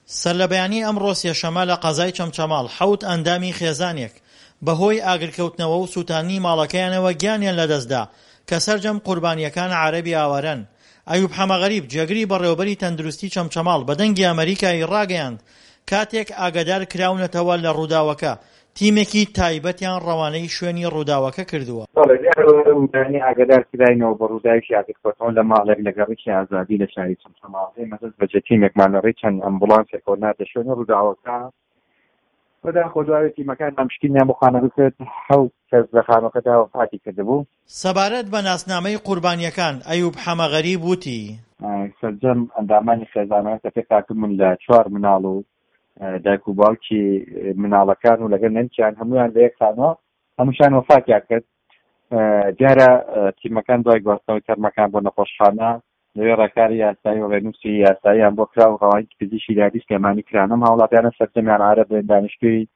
سەرلەبەیانی ئەمڕۆ سێشەممە لە قەزای چەمچەماڵ حەوت ئەندامی خێزانێک بەهۆی ئاگرکەوتنەوە و سووتاندنی ماڵەکەیانەوە گیانیان لەدەستدا کە سەرجەم قوربانییەکان عەرەبی ئاوارەن. ئەیوب حەمەغەریب جێگری بەڕێوەبەری تەندروستی چەمچەماڵ بە دەنگی ئەمەریکای ڕاگەیاند کاتێک ئاگادار کراونەتەوە لە ڕووداوەکە تیمێکی تایبەتیان ڕەوانەی شوێنی ڕووداوەکە کردووە. بەڵێ دیارە بەیانی ئاگادار کراینەوە بە ڕووداوێکی ئاگرکەوتنەوە لە ماڵێک لە گەڕەکی ئازادی لە شاری چەمچەماڵ، ئێمە دەست بەجێ تیمێکمان لە ڕێی چەند ئەمبوڵانسێکەوە ناردە شوێنی ڕووداوەکە، بەداخەوە دوای تیمەکانمان پشکنینیان بۆ خانەکە کرد حەوت کەس لە خانووەکەدا وەفاتی کردبوو. سەبارەت بە ناسنامەی قوربانییەکان، ئەیوب حەمەغەریب وتی. سەرجەم ئەندامانی خێزانەکە کە پێکهاتبوون لە چوار مناڵ و دایک و باوکی مناڵەکان و لەگەڵ نەنکیان هەمویان لە یەک خانووە هەمووشان وەفاتیان کرد دیارە تیمەکان دوای گواستنەوەی تەرمەکان بۆ نەخۆشخانە لەوێ ڕێکاری یاسایی و ڕێنووسی یاساییان بۆ کرا و ڕەوانەی پزیشکی دادی سلێمانی کران ئەم هاوڵاتیانە سەرجەمیان عەرەبن دانیشتووی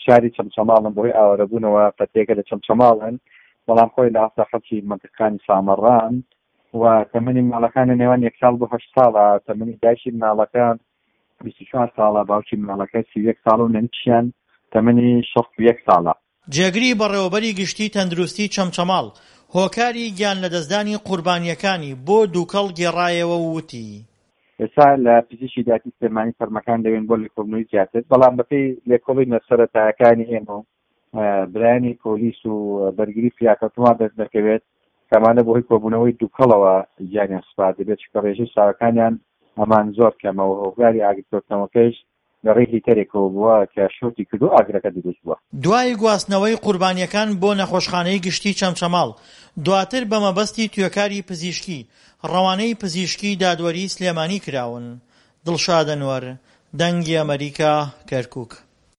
شاری چەمچەماڵن بەهۆی ئاوارەبوونەوە فەتێکە لە چەمچەماڵن بەڵام خۆی لە ئاستا خەڵکی مەنتیقەکانی سامەڕان و تەمەنی مناڵەکان لە نێوان یەک ساڵ بۆ هەشت ساڵە تەمەنی دایکی مناڵەکە 24 ساڵە، باوکی مناڵەکە 31 ساڵە و نەنکیشیان تەمەنی 61 ساڵە. جێگری بەڕێوەبەری گشتی تەندروستی چەمچەماڵ هۆکاری گیانلەدەستدانی قوربانییەکانی بۆ دووکەڵ گێڕایەوە و وتی. ئێستا لە پزیشکی دادی سلێمانی تەرمەکان لەوێن بۆ لێکۆڵینەوەی زیاتر، بەڵام بەپێی لێکۆڵینە سەرەتایەکانی ئێمە و برایانی پۆلیس و بەرگری فریاکەوتن وا دەردەکەوێت کە ئەمانە بەهۆی کۆبوونەوەی دووکەڵەوە گیانیان سپاردبێت، چونکە ڕێژەی ساوەکانیان ئەمان زۆر کەمە و هۆکاری ئاگرکەوتنەوەکەیش لە ڕێی هیتەرێکەوە بووە کە شۆرتی کردووە ئاگرەکە دروست بووە. دوای گواستنەوەی قوربانییەکان بۆ نەخۆشخانەی گشتی چەمچەماڵ، دواتر بە مەبەستی توێکاری پزیشکی ڕەوانەی پزیشکی دادوەری سلێمانی کراون. دڵشاد ئەنوەر، دەنگی ئەمەریکا، کەرکوک.